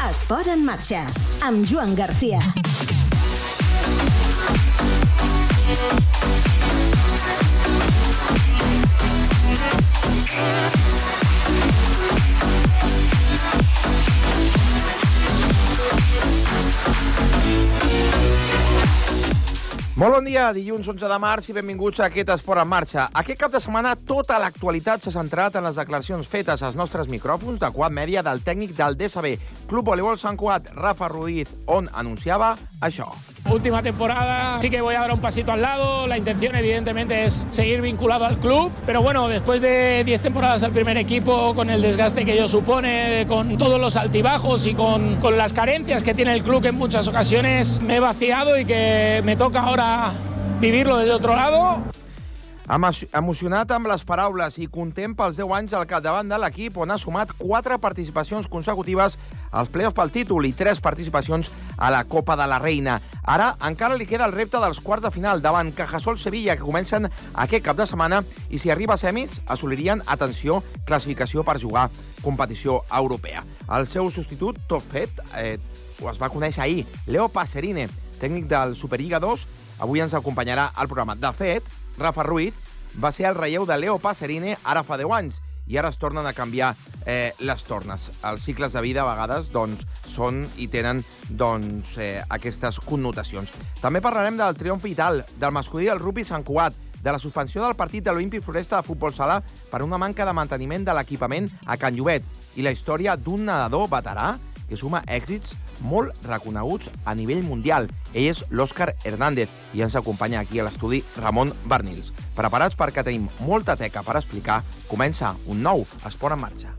Esport en marxa, amb Joan Garcia. Molt bon dia, dilluns 11 de març i benvinguts a aquest Esport en marxa. Aquest cap de setmana tota l'actualitat s'ha centrat en les declaracions fetes als nostres micròfons de Quad Media del tècnic del DSB, Club Voleibol Sant Cugat, Rafa Ruiz, on anunciava això. Última temporada, sí que voy a dar un pasito al lado. La intención, evidentemente, es seguir vinculado al club. Pero bueno, después de 10 temporadas al primer equipo, con el desgaste que ello supone, con todos los altibajos y con las carencias que tiene el club, que en muchas ocasiones me he vaciado y que me toca ahora vivirlo desde otro lado. Emocionat amb les paraules i content pels 10 anys al capdavant de l'equip, on ha sumat 4 participacions consecutives als play-offs pel títol i 3 participacions a la Copa de la Reina. Ara encara li queda el repte dels quarts de final davant Cajasol Sevilla, que comencen aquest cap de setmana, i si arriba a semis, assolirien, atenció, classificació per jugar competició europea. El seu substitut, tot fet, es va conèixer ahir, Leo Pacerine, tècnic del Superliga 2, avui ens acompanyarà al programa. De fet, Rafa Ruiz va ser el relleu de Leo Pacerine ara fa 10 anys i ara es tornen a canviar les tornes. Els cicles de vida a vegades són i tenen aquestes connotacions. També parlarem del triomf vital del masculí del rugby Sant Cugat, de la suspensió del partit de l'Olímpic Floresta de futbol sala per una manca de manteniment de l'equipament a Can Llobet i la història d'un nedador veterà que suma èxits molt reconeguts a nivell mundial. Ell és l'Òscar Hernández i ens acompanya aquí a l'estudi Ramon Barnils. Preparats perquè tenim molta teca per explicar, comença un nou Esport en marxa.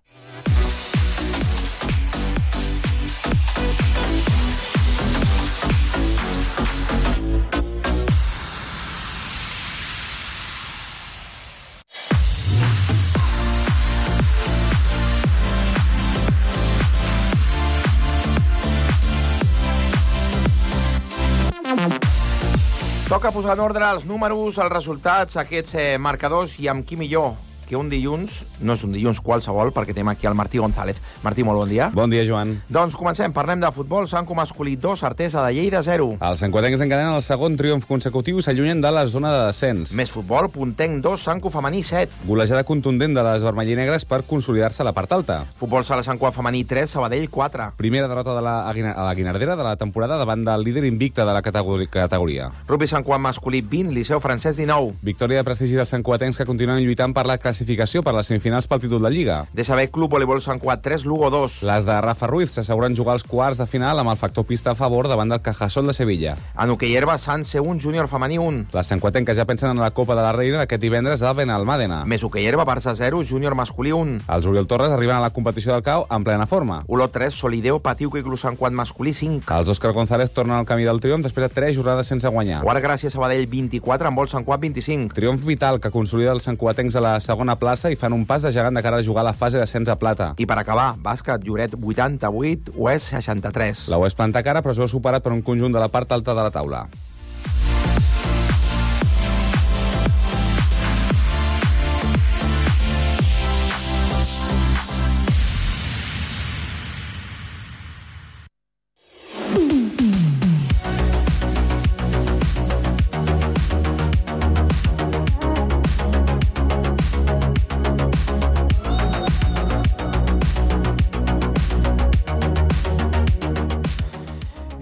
Toca posar en ordre els números, els resultats, aquests marcadors, i amb qui millor que un dilluns, no és un dilluns qualsevol, perquè tenim aquí el Martí González. Martí, molt bon dia. Bon dia, Joan. Doncs comencem, parlem de futbol. Sanco masculí 2, Artesa de Lleida 0. Els santcuatencs encadenen el segon triomf consecutiu i s'allunyen de la zona de descens. Més futbol, Puntenc 2, Sanco femení 7. Golejada contundent de les vermellinegres per consolidar-se a la part alta. Futbol sala Sant Cugat femení 3, Sabadell 4. Primera derrota a la Guinardera de la temporada davant del líder invicte de la categoria. Rugby Sant Cugat masculí 20, Liceu Francesc 19. Victòria de prestigi dels santcuatencs que continuen lluitant per la classificació per les semifinals pel títol de Lliga. DSB Club Voleibol Sant Cugat 3, Lugo 2. Les de Rafa Ruiz s'asseguren jugar als quarts de final amb el factor pista a favor davant del Cajasol de Sevilla. En hoquei herba, Sant C1, Júnior femení 1. Les santcuatenques ja pensen en la Copa de la Reina d'aquest divendres a Benalmàdena. Més hoquei herba, Barça 0, Júnior masculí 1. Els Oriol Torres arriben a la competició del CAO en plena forma. Olot 3, Solideo, Patiuca i Club Sant Cugat masculí 5. Els Òscar González tornen al camí del triomf després de 3 jornades sense guanyar. Quart Gràcia Sabadell 24, en vol Sant Cugat 25. Triomf vital que consolida els santcuatencs a la segona plaça i fan un pas de gegant de cara a jugar a la fase d'ascens a plata. I per acabar, bàsquet, Lloret 88, UES 63. La UES planta cara, però es veu superat per un conjunt de la part alta de la taula.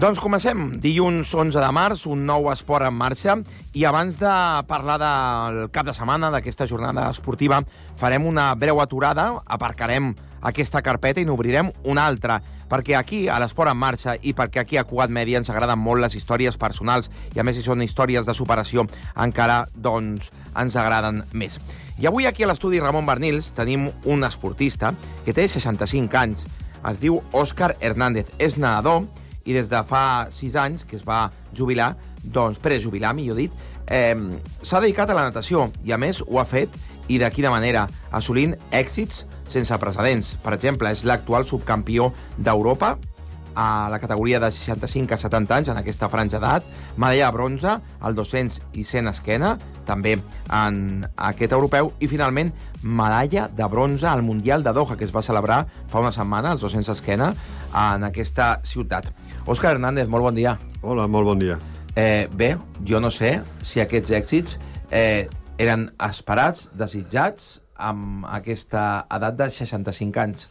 Doncs comencem. Dilluns 11 de març, un nou esport en marxa. I abans de parlar del cap de setmana, d'aquesta jornada esportiva, farem una breu aturada, aparcarem aquesta carpeta i n'obrirem una altra. Perquè aquí, a l'Esport en marxa, i perquè aquí a Cugat Media ens agraden molt les històries personals, i a més si són històries de superació, encara ens agraden més. I avui aquí a l'estudi Ramon Barnils tenim un esportista que té 65 anys. Es diu Òscar Hernández. És nedador, i des de fa 6 anys que es va jubilar, prejubilar, millor dit, s'ha dedicat a la natació i, a més, ho ha fet, i de quina manera, assolint èxits sense precedents. Per exemple, és l'actual subcampió d'Europa a la categoria de 65 a 70 anys, en aquesta franja d'edat, medalla de bronze al 200 i 100 esquena, també en aquest europeu, i finalment medalla de bronze al Mundial de Doha, que es va celebrar fa una setmana, als 200 esquena, en aquesta ciutat. Òscar Hernández, molt bon dia. Hola, molt bon dia. Bé, jo no sé si aquests èxits eren esperats, desitjats, amb aquesta edat de 65 anys.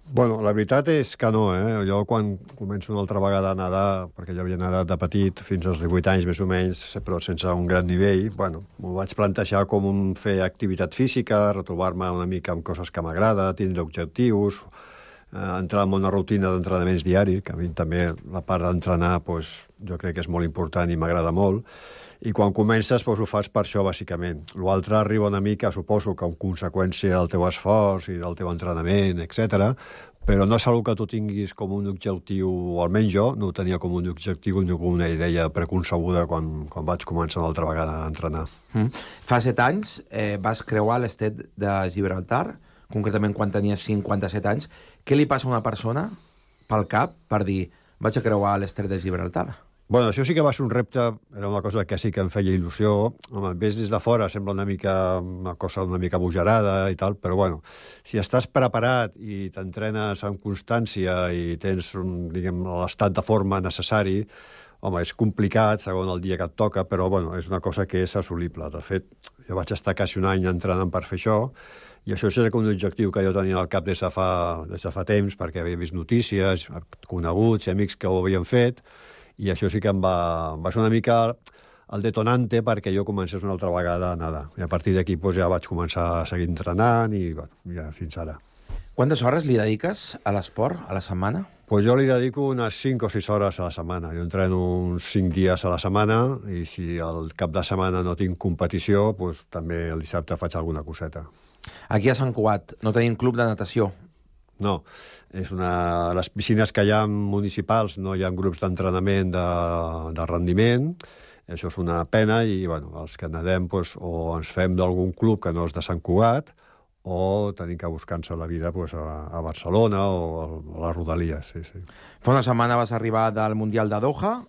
Bueno, la veritat és que no, Jo quan començo una altra vegada a nedar, perquè jo havia nedat de petit fins als 18 anys més o menys, però sense un gran nivell, m'ho vaig plantejar com fer activitat física, retrobar-me una mica amb coses que m'agrada, tindre objectius, entrar en una rutina d'entrenaments diaris, que a mi també la part d'entrenar jo crec que és molt important i m'agrada molt, i quan comences ho fas per això, bàsicament. L'altre arriba una mica, suposo, que en conseqüència del teu esforç i del teu entrenament, etc. Però no és una que tu tinguis com un objectiu, o almenys jo no ho tenia com un objectiu ni com una idea preconcebuda quan vaig començar una altra vegada a entrenar. Fa 7 anys vas creuar l'estret de Gibraltar, concretament quan tenies 57 anys. Què li passa a una persona pel cap per dir vaig a creuar l'estret de Gibraltar? Bueno, això sí que va ser un repte, era una cosa que sí que em feia il·lusió. Home, ves des de fora, sembla una cosa una mica bojarada i tal, però bueno, si estàs preparat i t'entrenes amb constància i tens, l'estat de forma necessari, home, és complicat, segons el dia que et toca, però bueno, és una cosa que és assolible. De fet, jo vaig estar quasi un any entrenant per fer això, i això era un objectiu que jo tenia al cap des de fa temps, perquè havia vist notícies, coneguts i amics que ho havien fet, i això sí que em va ser una mica el detonante perquè jo comencés una altra vegada a nedar. I a partir d'aquí ja vaig començar a seguir entrenant i ja fins ara. Quantes hores li dediques a l'esport a la setmana? Jo li dedico unes 5 o 6 hores a la setmana. Jo entreno uns 5 dies a la setmana i si al cap de setmana no tinc competició, també el dissabte faig alguna coseta. Aquí a Sant Cugat no tenim club de natació. No, les piscines que hi ha municipals no hi ha grups d'entrenament de rendiment, això és una pena i els que nedem o ens fem d'algun club que no és de Sant Cugat o tenim que buscar-nos la vida a Barcelona o a les Rodalies. Sí. Fa una setmana vas arribar del Mundial de Doha,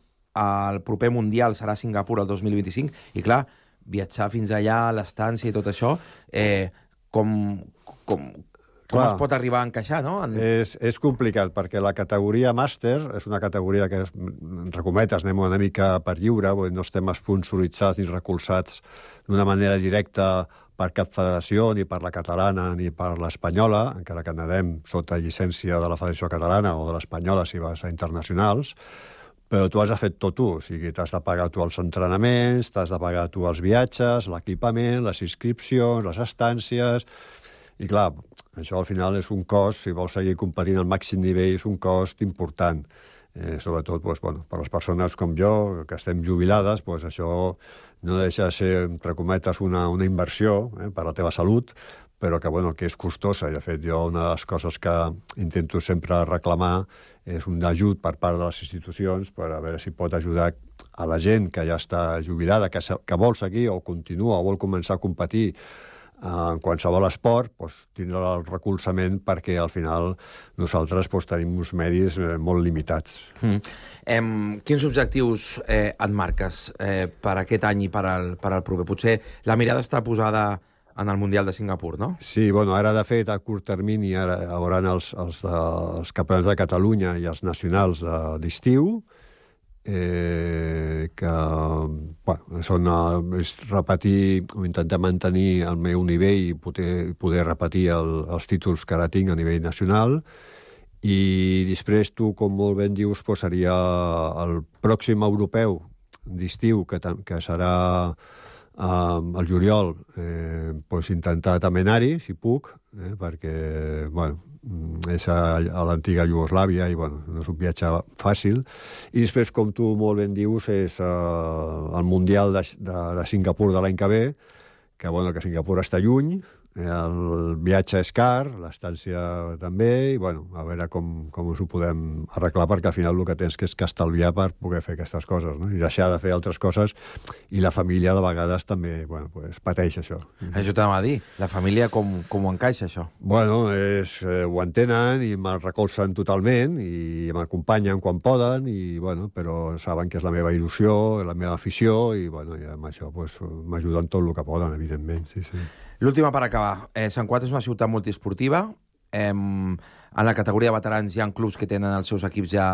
el proper Mundial serà a Singapur el 2025 i clar, viatjar fins allà a l'estància i tot això, com es pot arribar a encaixar, no? És complicat, perquè la categoria màster és una categoria que, entre cometes, anem una mica per lliure, no estem esponsoritzats ni recolzats d'una manera directa per cap federació, ni per la catalana ni per l'espanyola, encara que nedem sota llicència de la Federació Catalana o de l'espanyola si vas a internacionals, però tu has de fer tot tu, o sigui, t'has de pagar tu els entrenaments, t'has de pagar tu els viatges, l'equipament, les inscripcions, les estàncies. I clar, això al final és un cost, si vols seguir competint al màxim nivell, és un cost important. Sobretot per les persones com jo, que estem jubilades, això no deixa de ser, entre cometes, una inversió per a la teva salut, però que és costosa. I, de fet, jo una de les coses que intento sempre reclamar és un ajut per part de les institucions per a veure si pot ajudar a la gent que ja està jubilada, que vol seguir o continua o vol començar a competir en qualsevol esport, tindrà el recolzament perquè al final nosaltres tenim uns medis molt limitats. Quins objectius et marques per aquest any i per al proper? Potser la mirada està posada en el Mundial de Singapur, no? Sí, ara de fet a curt termini hi hauran els campionats de Catalunya i els nacionals d'estiu, que és repetir o intentar mantenir el meu nivell i poder repetir els títols que ara tinc a nivell nacional, i després tu, com molt ben dius, seria el pròxim europeu d'estiu que serà al juliol, intentar també anar-hi, si puc, perquè és a l'antiga Iugoslàvia i no és un viatge fàcil. I després, com tu molt ben dius, és el Mundial de Singapur de l'any que ve, que Singapur està lluny, el viatge és car, l'estància també, i a veure com us ho podem arreglar, perquè al final el que tens que és que estalviar per poder fer aquestes coses, no? I deixar de fer altres coses, i la família de vegades també pateix això. Això t'anava a dir, la família com ho encaixa, això? Ho entenen i me'l recolzen totalment i m'acompanyen quan poden, però saben que és la meva il·lusió, la meva afició, i amb això m'ajuden tot el que poden, evidentment. Sí. L'última per acabar. Sant Cugat és una ciutat multiesportiva, en la categoria de veterans hi ha clubs que tenen els seus equips ja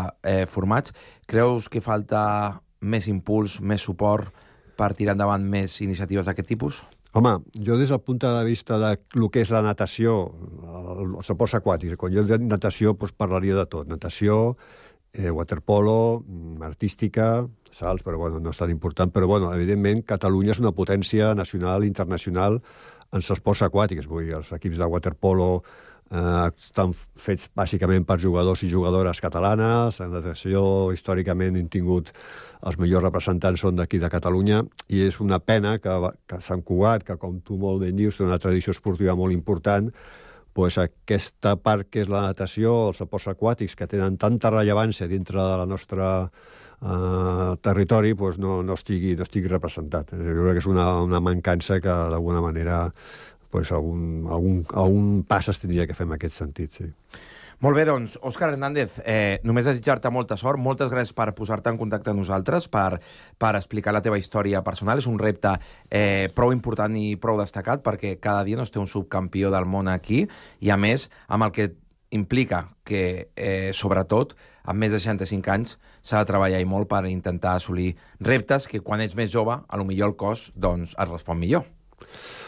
formats. Creus que falta més impuls, més suport per tirar endavant més iniciatives d'aquest tipus? Home, jo des del punt de vista de lo que és la natació, els esports aquàtics, quan jo dic natació parlaria de tot. Natació, waterpolo, artística, salts, però bueno, no és tan important. Però bueno, evidentment, Catalunya és una potència nacional i internacional en els esports aquàtics. Vull dir, els equips de waterpolo estan fets bàsicament per jugadors i jugadores catalanes. En natació, històricament, hem tingut els millors representants són d'aquí de Catalunya, i és una pena que Sant Cugat, que com tu molt ben dius, té una tradició esportiva molt important, doncs aquesta part que és la natació, els esports aquàtics, que tenen tanta rellevància dintre de la nostra territori, doncs no estigui representat. Jo crec que és una mancança que d'alguna manera algun pas es tindria que fer en aquest sentit, sí. Molt bé, doncs, Òscar Hernández, només desitjar-te molta sort, moltes gràcies per posar-te en contacte amb nosaltres, per explicar la teva història personal. És un repte prou important i prou destacat, perquè cada dia no es té un subcampió del món aquí, i a més, amb el que implica que, sobretot, amb més de 65 anys, s'ha de treballar i molt per intentar assolir reptes que, quan ets més jove, potser el cos es respon millor.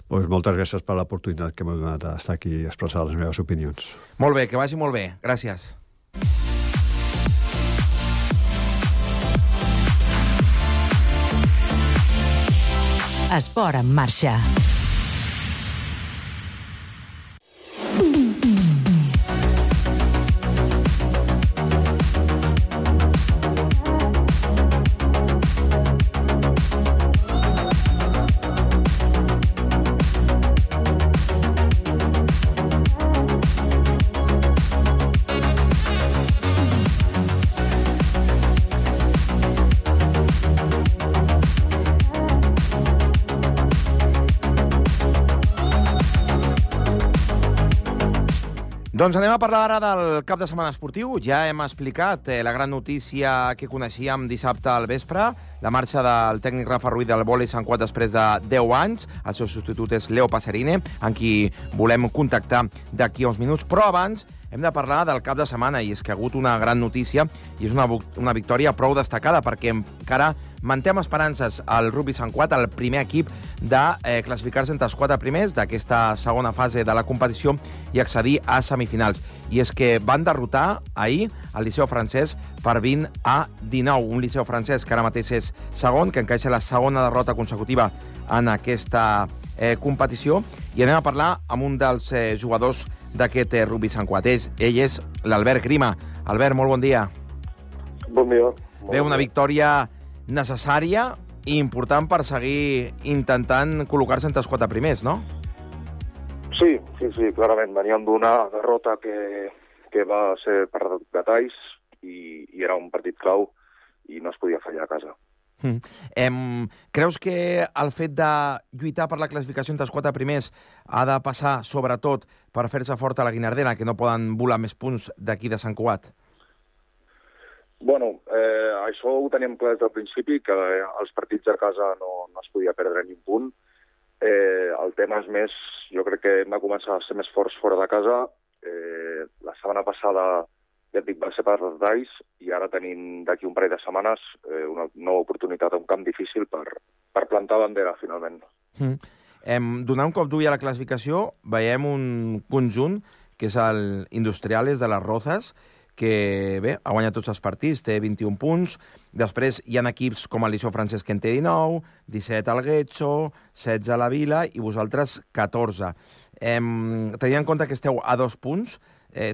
Doncs moltes gràcies per l'oportunitat que m'heu donat d'estar aquí i expressar les meves opinions. Molt bé, que vagi molt bé. Gràcies. Esport en marxa. Doncs anem a parlar ara del cap de setmana esportiu. Ja hem explicat la gran notícia que coneixíem dissabte al vespre, la marxa del tècnic Rafa Ruiz del vòlei Sant Cugat després de 10 anys. El seu substitut és Leo Passerine, amb qui volem contactar d'aquí a uns minuts. Però abans hem de parlar del cap de setmana, i és que ha hagut una gran notícia i és una victòria prou destacada, perquè encara mantem esperances al Rugby Sant Cugat, el primer equip de classificar-se entre els 4 primers d'aquesta segona fase de la competició i accedir a semifinals. I és que van derrotar ahir el Liceu Francès per 20-19, un Liceu Francès que ara mateix és segon, que encaixa la segona derrota consecutiva en aquesta competició. I anem a parlar amb un dels jugadors d'aquest Rugby Sant Cugat. Ell és l'Albert Grima. Albert, molt bon dia. Bon dia. Bé, una victòria necessària i important per seguir intentant col·locar-se entre els 4 primers, no? Sí, clarament. Veníem d'una derrota que va ser per detalls i era un partit clau i no es podia fallar a casa. Creus que el fet de lluitar per la classificació entre els 4 primers ha de passar, sobretot, per fer-se fort a la Guinardena, que no poden volar més punts d'aquí de Sant Cugat? Bueno, això ho teníem clar des del principi, que els partits a casa no es podia perdre ni un punt. El tema és més, jo crec que hem de començar a ser més forts fora de casa. La setmana passada, ja et dic, va ser per detalls, i ara tenim d'aquí un parell de setmanes una nova oportunitat a un camp difícil per plantar bandera, finalment. Donant un cop d'ull a la classificació, veiem un conjunt, que és el Industriales de les Rozas, que bé, ha guanyat tots els partits, té 21 punts. Després hi ha equips com el Liceu Francès, que en té 19, 17 al Getxo, 16 a la Vila i vosaltres 14. Tenint en compte que esteu a 2 punts,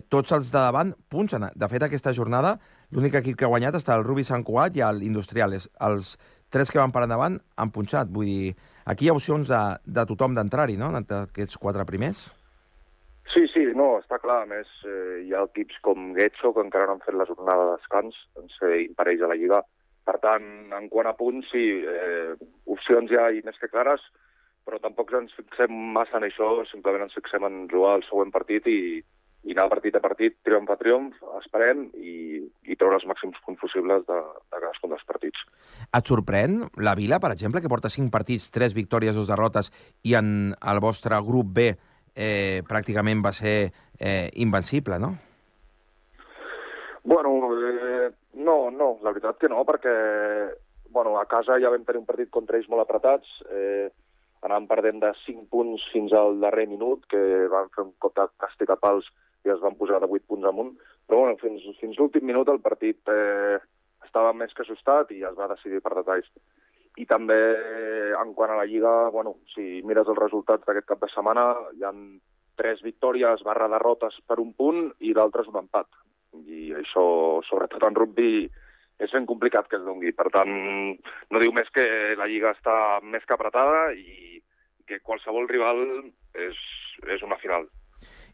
tots els de davant punxen. De fet, aquesta jornada, l'únic equip que ha guanyat està el Rugby Sant Cugat i l'Industriales. Els 3 que van per endavant han punxat. Vull dir, aquí hi ha opcions de tothom d'entrar-hi, no?, entre aquests 4 primers. Sí, no, està clar. A més, hi ha equips com Getxo, que encara no han fet la jornada de descans, en ser imparells a la Lliga. Per tant, en quant a punts, sí, opcions ja hi més que clares, però tampoc ens fixem massa en això, simplement ens fixem en jugar el següent partit i anar partit a partit, triomf a triomf, esperem i treure els màxims punts possibles de cadascun dels partits. Et sorprèn la Vila, per exemple, que porta 5 partits, 3 victòries, 2 derrotes, i en el vostre grup B pràcticament va ser invencible, no? Bueno, no, la veritat que no, perquè a casa ja vam tenir un partit contra ells molt apretats, anàvem perdent de 5 punts fins al darrer minut, que van fer un cop de càstig a pals i es van posar de 8 punts amunt, però fins l'últim minut el partit estava més que ajustat i es va decidir per detalls. I també, en quant a la Lliga, si mires els resultats d'aquest cap de setmana, hi ha 3 victòries / derrotes per un punt i l'altre és un empat. I això, sobretot en rugby, és ben complicat que es doni. Per tant, no diu més que la Lliga està més que apretada i que qualsevol rival és una final.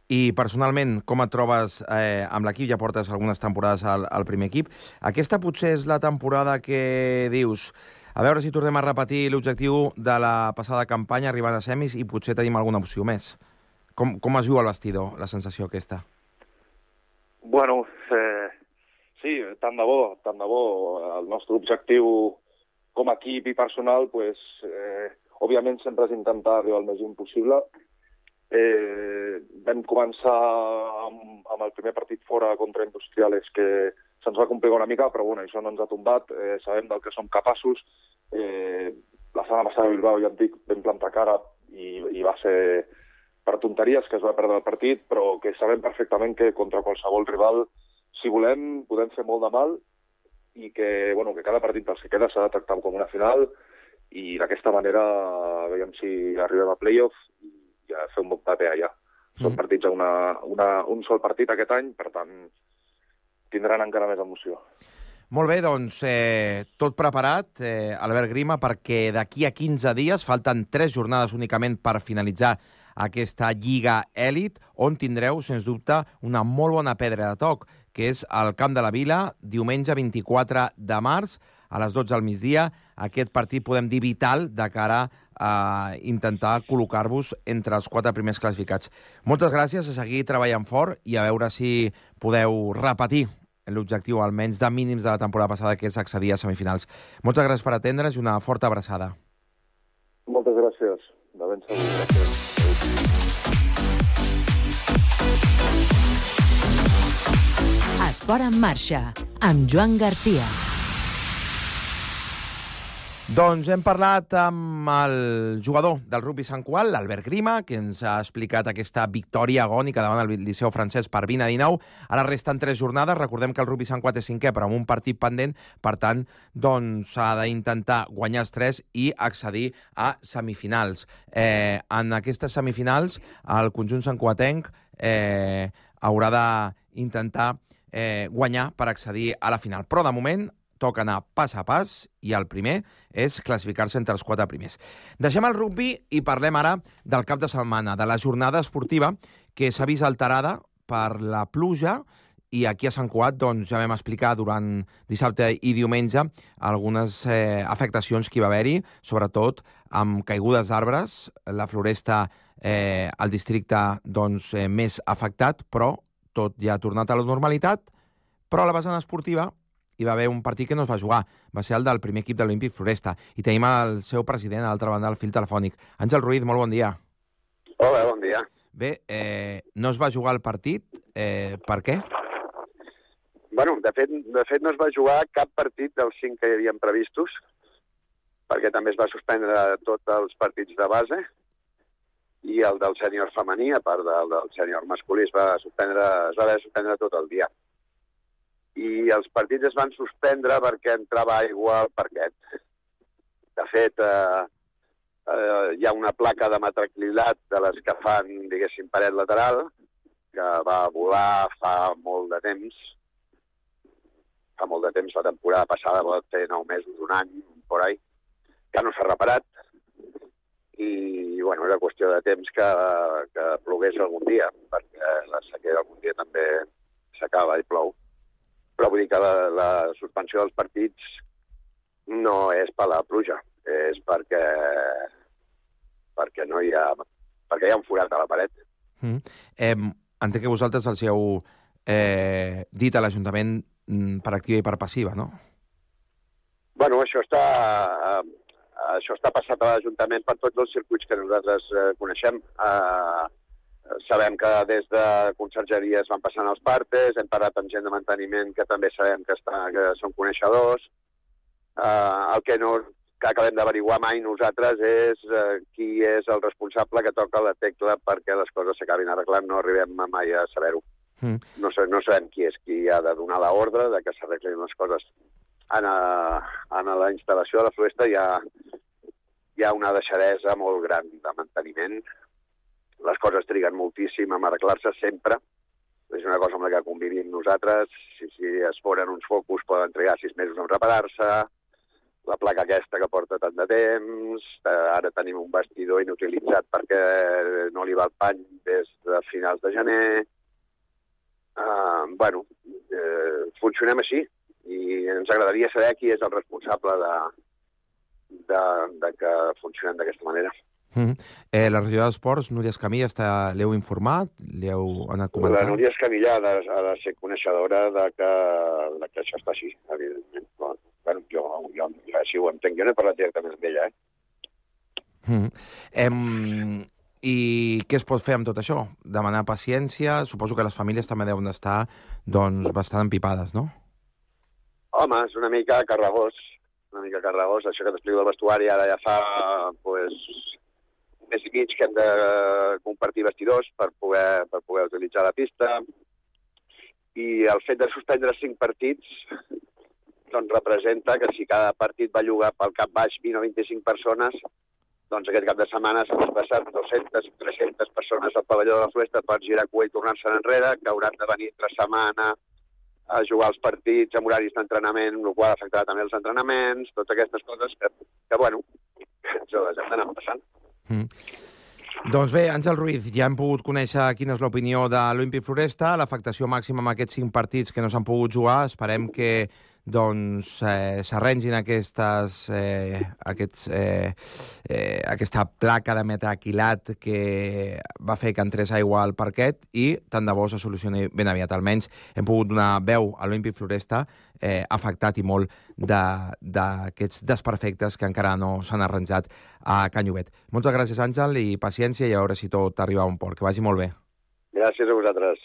I personalment, com et trobes amb l'equip? Ja portes algunes temporades al primer equip. Aquesta potser és la temporada que dius, a veure si tornem a repetir l'objectiu de la passada campanya, arribant a semis, i potser tenim alguna opció més. Com es viu al vestidor, la sensació aquesta? Sí, tant de bo. El nostre objectiu com a equip i personal, òbviament sempre és intentar arribar al més lluny possible. Vam començar amb el primer partit fora contra Industriales, que se'ns va complicar una mica, però això no ens ha tombat. Sabem del que som capaços. La setmana passada a Bilbao, ja et dic, vam plantar cara i va ser per tonteries que es va perdre el partit, però que sabem perfectament que contra qualsevol rival, si volem, podem fer molt de mal i que cada partit dels que queda s'ha de tractar com una final i d'aquesta manera veiem si arribem a playoff i ja fer un bon paper allà. Són partits a un sol partit aquest any, per tant, tindran encara més emoció. Molt bé, doncs, tot preparat, Albert Grima, perquè d'aquí a 15 dies, falten 3 jornades únicament per finalitzar aquesta Lliga Èlit, on tindreu, sens dubte, una molt bona pedra de toc, que és al Camp de la Vila, diumenge 24 de març, a les 12 del migdia. Aquest partit, podem dir, vital de cara a intentar col·locar-vos entre els 4 primers classificats. Moltes gràcies, a seguir treballant fort i a veure si podeu repetir l'objectiu, almenys de mínims de la temporada passada, que és accedir a semifinals. Moltes gràcies per atendre's i una forta abraçada. Moltes gràcies. De ben segur. Gràcies. Esport en marxa, amb Joan Garcia. Doncs hem parlat amb el jugador del rugby Sant Cugat, l'Albert Grima, que ens ha explicat aquesta victòria agònica davant el Liceu francès per 20-19. Ara resten 3 jornades. Recordem que el rugby Sant Cugat és 5è, però amb un partit pendent. Per tant, s'ha d'intentar guanyar els 3 i accedir a semifinals. En aquestes semifinals, el conjunt santcugatenc haurà d'intentar guanyar per accedir a la final. Però, de moment, toca anar pas a pas i el primer és classificar-se entre els 4 primers. Deixem el rugby i parlem ara del cap de setmana, de la jornada esportiva que s'ha vist alterada per la pluja i aquí a Sant Cugat ja vam explicar durant dissabte i diumenge algunes afectacions que hi va haver-hi, sobretot amb caigudes d'arbres, la floresta al districte més afectat, però tot ja ha tornat a la normalitat, però a la vessant esportiva hi va haver un partit que no es va jugar. Va ser el del primer equip de l'Olímpic Floresta. I tenim el seu president a l'altra banda del fil telefònic. Àngel Ruiz, molt bon dia. Hola, bon dia. Bé, no es va jugar el partit. Per què? Bueno, de fet no es va jugar cap partit dels 5 que hi havien previstos, perquè també es va suspendre tots els partits de base, i el del sènior femení, a part del sènior masculí, es va haver de suspendre tot el dia. I els partits es van suspendre perquè entrava aigua al parquet. De fet, hi ha una placa de metraclilat de les que fan, diguéssim, paret lateral, que va volar fa molt de temps. Fa molt de temps, la temporada passada va fer 9 mesos, un any, por ahí, que no s'ha reparat. I, bueno, era qüestió de temps que plogués algun dia, perquè la sequera algun dia també s'acaba i plou. Però vull dir que la suspensió dels partits no és per la pluja, és perquè no hi ha un forat a la paret. Entenc que vosaltres els heu dit a l'Ajuntament per activa i per passiva, no? Bueno, això està passat a l'Ajuntament per tots els circuits que nosaltres coneixem. Sabem que des de consergeria es van passant els partes, hem parlat amb gent de manteniment que també sabem que són coneixedors. El que acabem d'averiguar mai nosaltres és qui és el responsable que toca la tecla perquè les coses s'acabin arreglant. No arribem mai a saber-ho. No sabem qui és qui ha de donar l'ordre de que s'arreglin les coses. En la instal·lació de la Floresta hi ha una deixadesa molt gran de manteniment. Les coses triguen moltíssim a arreglar-se sempre. És una cosa amb la que convivim nosaltres. Si es foren uns focus poden trigar 6 mesos en reparar-se. La placa aquesta que porta tant de temps. Ara tenim un vestidor inutilitzat perquè no li va el pany des de finals de gener. Funcionem així i ens agradaria saber qui és el responsable de que funcionem d'aquesta manera. La regidora d'Esports, Núria Escamilla, l'heu informat? L'heu anat comentant? La Núria Escamilla ha de ser coneixedora de que això està així, evidentment. Jo així ho entenc. Jo no he parlat directament amb ella, I què es pot fer amb tot això? Demanar paciència? Suposo que les famílies també deuen estar bastant empipades, no? Home, és una mica carregós. Això que t'explico del vestuari ara ja fa mes i mig que hem de compartir vestidors per poder utilitzar la pista. I el fet de suspendre 5 partits representa que si cada partit va jugar pel cap baix 20 o 25 persones, doncs aquest cap de setmana s'han desplaçat 200 o 300 persones al pavelló de la Floresta per girar cua i tornar-se'n enrere, que hauran de venir entre setmana a jugar els partits amb horaris d'entrenament, el qual afectarà també els entrenaments, totes aquestes coses que ens les hem d'anar passant. Doncs bé, Àngel Ruiz, ja hem pogut conèixer quina és l'opinió de l'Olímpic Floresta, l'afectació màxima amb aquests 5 partits que no s'han pogut jugar. Esperem que s'arrengin aquesta placa de metaquilat que va fer que entrés aigua al parquet i tant de bo se solucioni ben aviat. Almenys hem pogut donar veu a l'Olímpic Floresta afectat i molt d'aquests desperfectes que encara no s'han arranjat a Can Llobet. Moltes gràcies, Àngel, i paciència i a veure si tot arriba a un port. Que vagi molt bé. Gràcies a vosaltres.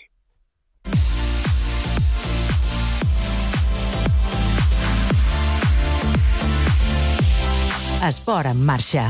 Esport en marxa.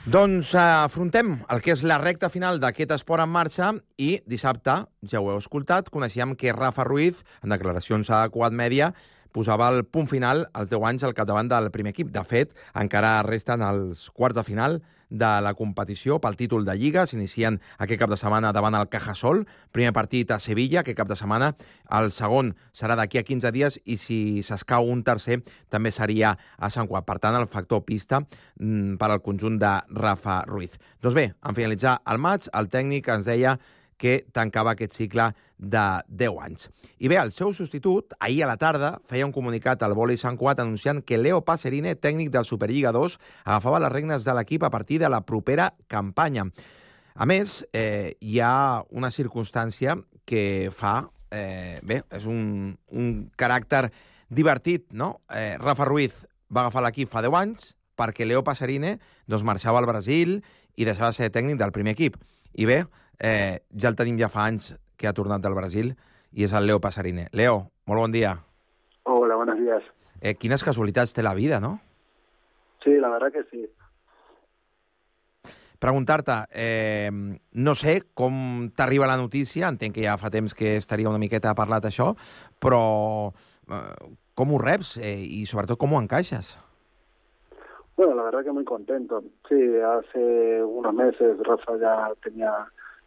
Doncs afrontem el que és la recta final d'aquest Esport en marxa i dissabte, ja ho heu escoltat, coneixíem que Rafa Ruiz, en declaracions a Quad Media, posava el punt final als 10 anys al capdavant del primer equip. De fet, encara resten els quarts de final de la competició pel títol de Lliga. S'inicien aquest cap de setmana davant el Cajasol. Primer partit a Sevilla, aquest cap de setmana. El segon serà d'aquí a 15 dies i si s'escau un tercer també seria a Sant Cugat. Per tant, el factor pista per al conjunt de Rafa Ruiz. Doncs bé, en finalitzar el maig, el tècnic ens deia que tancava aquest cicle de 10 anys. I bé, el seu substitut, ahir a la tarda, feia un comunicat al Vòlei Sant Cugat anunciant que Leo Pacerine, tècnic del Superliga 2, agafava les regnes de l'equip a partir de la propera campanya. A més, hi ha una circumstància que fa... és un caràcter divertit, no? Rafa Ruiz va agafar l'equip fa 10 anys perquè Leo Pacerine marxava al Brasil i deixava de ser tècnic del primer equip. I bé, ja el tenim ja fa anys que ha tornat del Brasil i és el Leo Pacerine. Leo, molt bon dia. Hola, buenos días. Quines casualitats té la vida, no? Sí, la verdad que sí. Preguntar-te, no sé com t'arriba la notícia, entenc que ja fa temps que estaria una miqueta parlat això, però com ho reps i sobretot com ho encaixes? Bueno, la verdad que muy contento. Sí, hace unos meses Rafa ya tenía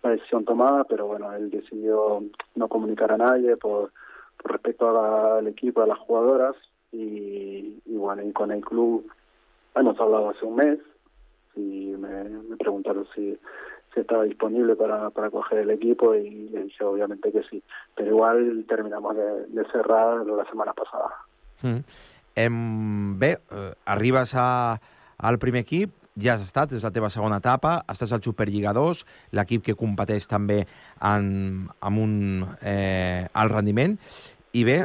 la decisión tomada, pero bueno, él decidió no comunicar a nadie por respecto al equipo, a las jugadoras, y bueno, y con el club hemos hablado hace un mes y me preguntaron si estaba disponible para coger el equipo y le dije obviamente que sí, pero igual terminamos de cerrar la semana pasada. Bé, arribes al primer equip, ja has estat, és la teva segona etapa, estàs al Superliga 2, l'equip que competeix també amb un alt rendiment, i bé,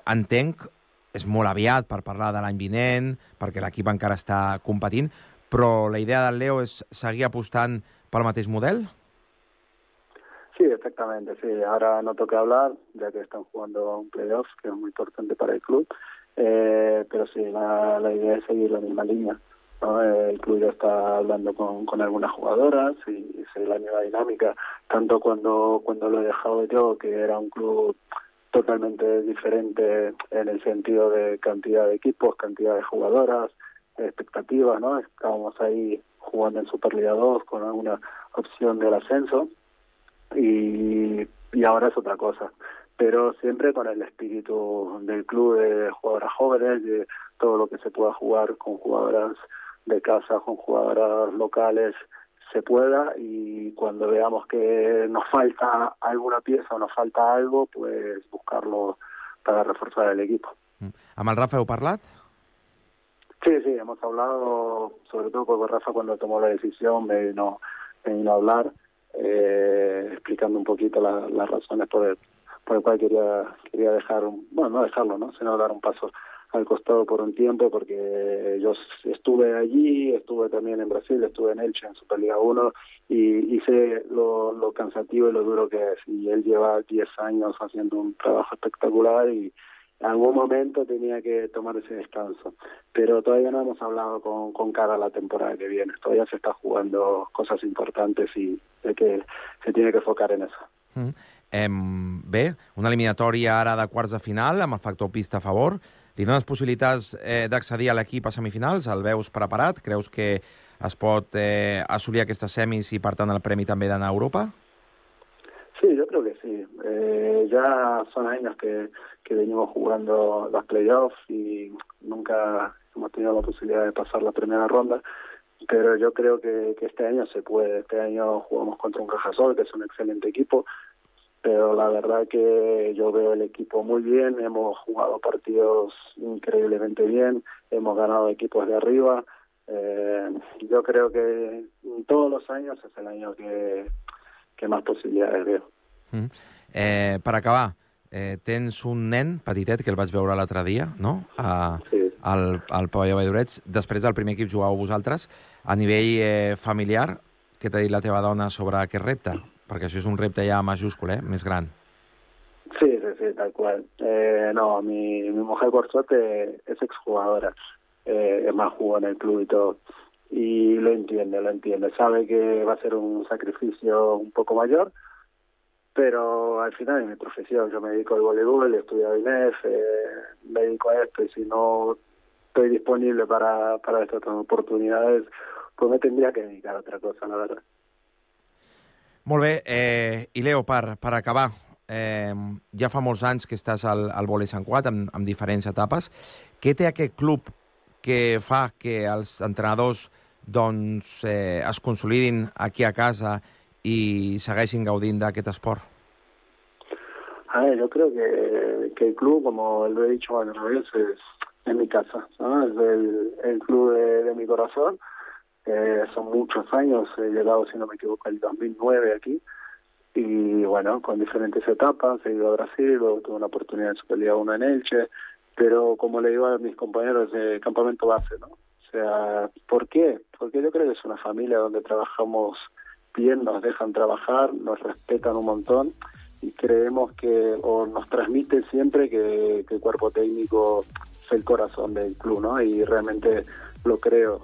entenc, és molt aviat per parlar de l'any vinent, perquè l'equip encara està competint, però la idea del Leo és seguir apostant pel mateix model? Sí, exactamente, sí. Ahora no toca hablar, ya que están jugando un playoff, que es muy importante para el club, pero sí, la idea es seguir la misma línea, ¿no? El club ya está hablando con algunas jugadoras y seguir la misma dinámica, tanto cuando lo he dejado yo, que era un club totalmente diferente en el sentido de cantidad de equipos, cantidad de jugadoras, expectativas, ¿no? Estábamos ahí jugando en Superliga 2 con alguna opción del ascenso y ahora es otra cosa, pero siempre con el espíritu del club de jugadoras jóvenes, de todo lo que se pueda jugar con jugadoras de casa, con jugadoras locales, se pueda, y cuando veamos que nos falta alguna pieza o nos falta algo, pues buscarlo para reforzar el equipo. Amb el Rafa heu parlat? Sí, hemos hablado, sobre todo porque Rafa cuando tomó la decisión me vino a hablar, explicando un poquito las razones por el cual quería dejar, no dejarlo, ¿no? Sino dar un paso al costado por un tiempo, porque yo estuve allí, estuve también en Brasil, estuve en Elche, en Superliga 1, y sé lo cansativo y lo duro que es. Y él lleva 10 años haciendo un trabajo espectacular y en algún momento tenía que tomar ese descanso. Pero todavía no hemos hablado con cara a la temporada que viene. Todavía se está jugando cosas importantes y sé que se tiene que enfocar en eso. Bé, una eliminatòria ara de quarts de final, amb el factor pista a favor. Li dones possibilitats d'accedir a l'equip a semifinals? El veus preparat? Creus que es pot assolir aquestes semis i, per tant, el premi també d'anar a Europa? Sí, yo creo que sí. Ya son años que venimos jugando los playoffs y nunca hemos tenido la posibilidad de pasar la primera ronda, pero yo creo que este año se puede. Este año jugamos contra un Cajasol, que es un excelente equipo, pero la verdad que yo veo el equipo muy bien, hemos jugado partidos increíblemente bien, hemos ganado equipos de arriba. Yo creo que todos los años es el año que más possibilitats veu. Per acabar, tens un nen petitet que el vaig veure l'altre dia, no? Sí. Al pavelló Valldoreix. Després del primer equip jugàveu vosaltres. A nivell familiar, què t'ha dit la teva dona sobre aquest repte? Perquè això és un repte ja majúscul, més gran. Sí, tal cual. No, mi mujer, por suerte, es exjugadora. Es más, jugó en el club y todo. Y lo entiende. Sabe que va a ser un sacrificio un poco mayor, pero al final es mi profesión. Yo me dedico al voleibol, he estudiado INEF, me dedico a esto, y si no estoy disponible para estas oportunidades, pues me tendría que dedicar a otra cosa, la verdad. Molt bé. I Leo, per acabar, ja fa molts anys que estàs al vòlei Sant Cugat, amb diferents etapes. Què té aquest club que fa que els entrenadors es consolidin aquí a casa y segueixin gaudint d'aquest esport? A ver, yo creo que el club, como lo he dicho varias veces, es mi casa, ¿no? Es el club de mi corazón. Son muchos años, he llegado, si no me equivoco, el 2009 aquí, y bueno, con diferentes etapas, he ido a Brasil, luego tuve una oportunidad en Superliga 1 en Elche, pero como le digo a mis compañeros de campamento base, ¿no? O sea, ¿por qué? Porque yo creo que es una familia donde trabajamos bien, nos dejan trabajar, nos respetan un montón y creemos o nos transmiten siempre que el cuerpo técnico es el corazón del club, ¿no? Y realmente lo creo,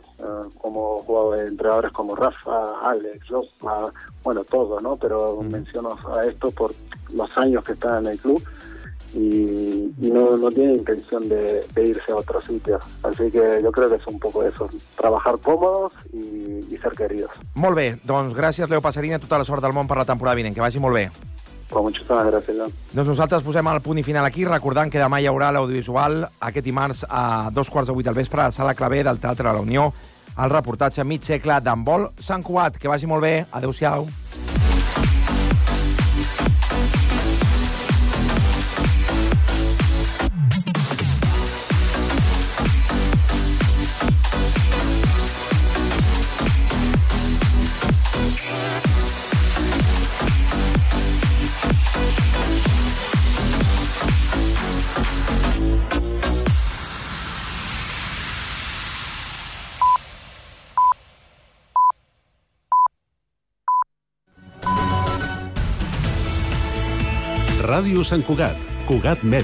como entrenadores como Rafa, Alex, Josma, bueno, todos, ¿no? Pero menciono a esto por los años que están en el club y no tiene intención de irse a otro sitio. Así que yo creo que es un poco eso, trabajar cómodos y ser queridos. Molt bé, doncs gràcies, Leo Pasarini, tota la sort del món per la temporada vinent, que vagi molt bé. Pues muchísimas gracias, John. Doncs nosaltres posem el punt i final aquí, recordant que demà hi haurà l'audiovisual aquest dimarts a 2:15 del vespre a la Sala Clavé del Teatre de la Unió, el reportatge mig segle d'handbol Sant Cugat. Que vagi molt bé, adeu-siau. Ràdio Sant Cugat, Cugat Mèdia.